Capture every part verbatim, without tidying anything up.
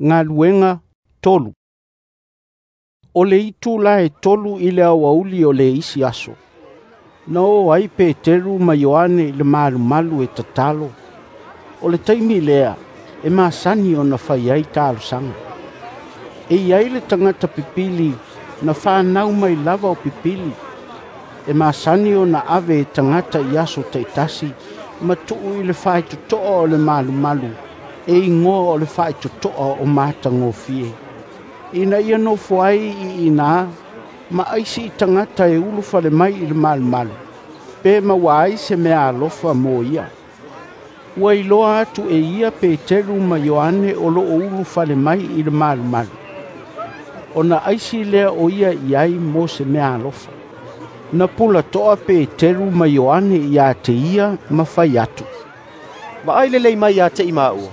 Galuega tolu. O le itula e tolu i le aoauli o le isi aso, na o ai Peteru ma Ioane i le malumalu e tatalo. O le taimi lea e masani ona fai ai talosaga. E i ai le tagata pipili na fanau mai lava o pipili, e masani ona ave e tagata i aso taitasi ma tuu i le faitotoa o le malumalu e igoa o le Faitotoa o Matagofie, ina ia nofo ai i ina ma aisi i tagata e ulufale mai i le malumalu, pe maua ai se meaalofa mo ia. Ua iloa atu e ia Peteru ma Ioane o lo o ulufale mai i le malumalu, ona aisi lea o ia i ai mo se meaalofa. Na pulatoa Peteru ma Ioane ia te ia ma fai atu, "Vaai lelei mai ia te i maua."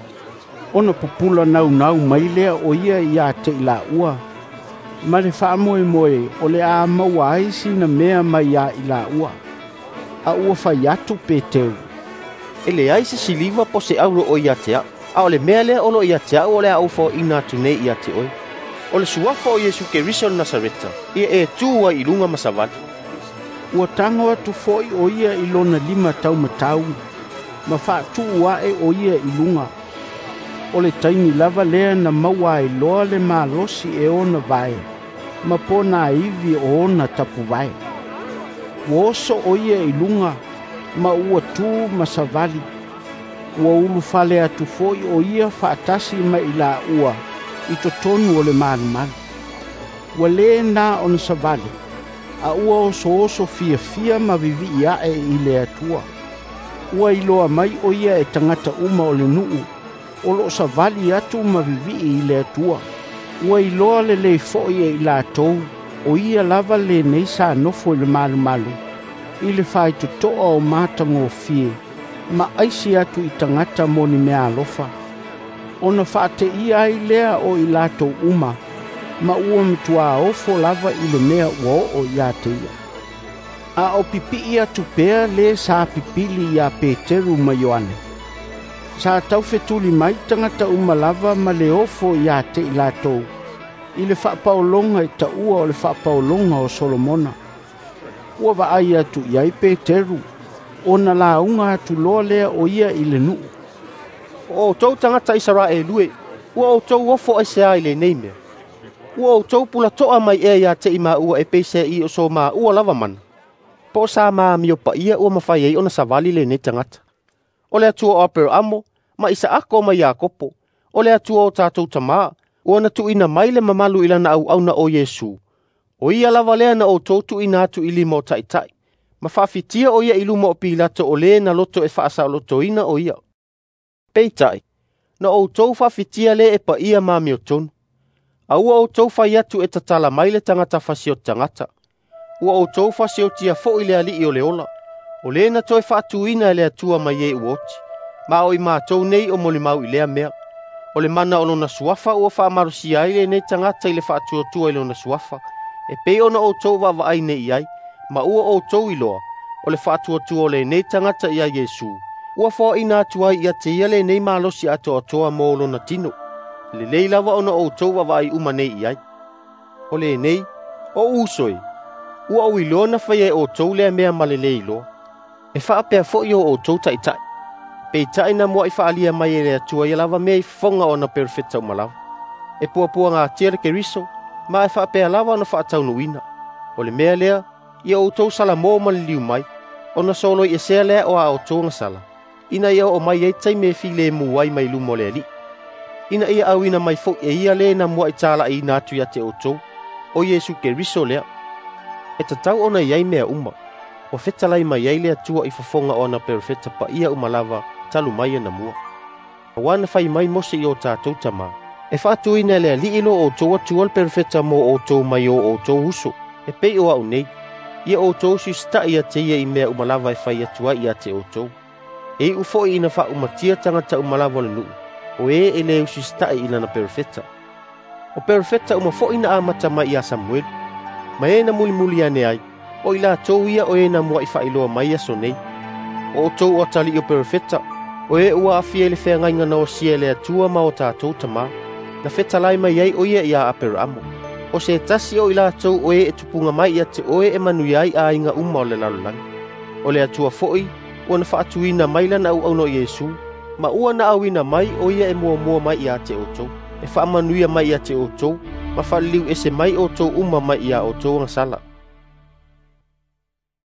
Ona pupula naunau mai lea o ia ia te i laua, ma le faamoemoe o le a maua ai sina mea mai ia i laua. A ua fai atu Peteru, "E leai se siliva po o se auro o ia te au, a o le mea lea o lo o ia te au o le a ou foaina atu nei ia te oe. O le suafa o Iesu Keriso o le Nasareta, ia e tu ai i luga ma savali." Ua tago atu foi o ia i lona lima taumatau, ma faatuu ae o ia i luga. O le taimi lava lea na maua ai loa le malosi e ona vae, ma ponaivi o ona tapuvae. Ua oso o ia i luga, ma ua tu ma savali. Ua ulufale atu foi o ia faatasi ma i laua i totonu o le malumalu. Ua lē na ona savali, a ua osooso fiafia ma vivii ae i le Atua. Ua iloa mai o ia e tagata uma o le nuu, o lo o savali atu ma vivii i le Atua. Ua iloa lelei foi e i latou, o ia lava lenei sa nofo i le malumalu, i le faitotoa o Matagofie, ma aisi atu i tagata mo ni meaalofa. Ona faateia ai lea o i latou uma, ma ua matuā ofo lava i le mea ua oo ia te ia. A o pipii atu pea le sa pipili ia Peteru ma Ioane, sa taufetuli mai tagata uma lava ma le ofo ia te i latou, i le faapaologa e taua o le faapaologa o Solomona. Ua vaai atu i ai Peteru, ona lauga atu loa lea o ia i le nuu. "O outou tagata Isaraelu e, ua outou ofo aisea i lenei mea? Ua outou pulatoa mai ea ia te i maua e peiseai o so maua lava mana, po o sa ma amio paia ua mafai ai ona savali lenei tagata? O le Atua o Aperaamo ma Isaako ma Iakopo, o le Atua o tatou tamā, ua na tuuina mai le mamalu i lana auauna o Iesu, o ia lava lea na outou tuuina atu i lima o taitai, ma faafitia o ia i luma o Pilato o le na loto e faasaolotoina o ia. Peitai, na outou faafitia le e paia ma amiotonu. A ua outou fai atu e tatala mai le tagata fasioti tagata. Ua outou fasiotia foi le alii o le ola, o le na toe faatuina e le Atua mai e ua oti, ma o i matou nei o molimau i lea mea. O le mana o lona suafa ua faamalosia ai lenei tagata i le faatuatua i lona suafa, e pei ona outou vaavaai nei i ai, ma ua outou iloa, o le faatuatua o lenei tagata ia Iesu, ua foaina atu ai ia te ia lenei malosi atoatoa mo lona tino. Lelei lava ona outou vaavaai uma nei i ai. O lenei, o uso e, ua ou iloa na faia e outou lea mea ma le lē iloa. E faapea foi o outou taitai. Peitai na muai faalia mai e le Atua ia lava mea i fofoga o ana perofeta uma lava. E puapuagatia le Keriso, ma e faapea lava ona faataunuuina. O le mea lea, ia outou salamo ma liliu mai, ona soloiesea lea o a outou agasala, ina ia oo mai ai taimi e filemu ai mai luma o le Alii. Ina ia auina mai foi e ia le na muai talaiina atu ia te outou, o Iesu Keriso lea. E tatau ona i ai mea uma, ua fetalai mai ai le Atua i fofoga o ana perofeta paia uma lava talu mai ana mua. Auā na fai mai Mose i o tatou tamā, e faatuina e le Alii lo outou Atua le perofeta mo outou mai o outou uso, e pei o au nei, ia outou siusita'i ia te ia i mea uma lava e fai atu ai ia te outou. E iu foi ina faaumatia tagata uma lava o le nuu, o e e le usiusita'i i lana perofeta. O perofeta uma foi na amata mai ia Samuelu, ma e na mulimuli ane ai, o i latou ia o e na muai faailoa mai aso nei. O outou o atalii o perofeta, o e ua aafia i le feagaiga na osia e le Atua ma o tatou tamā. na fetalai mai ai o ia ia Aperaamo, ‘O se tasi o i latou o e e tupuga mai ia te oe e manuia ai aiga uma o le lalolagi.’ O le Atua foi ua na faatuina mai lana auauna o Iesu, ma ua na auina mai o ia e muamua mai ia te outou, e faamanuia mai ia te outou ma faaliliuese mai outou uma mai ia outou agasala.”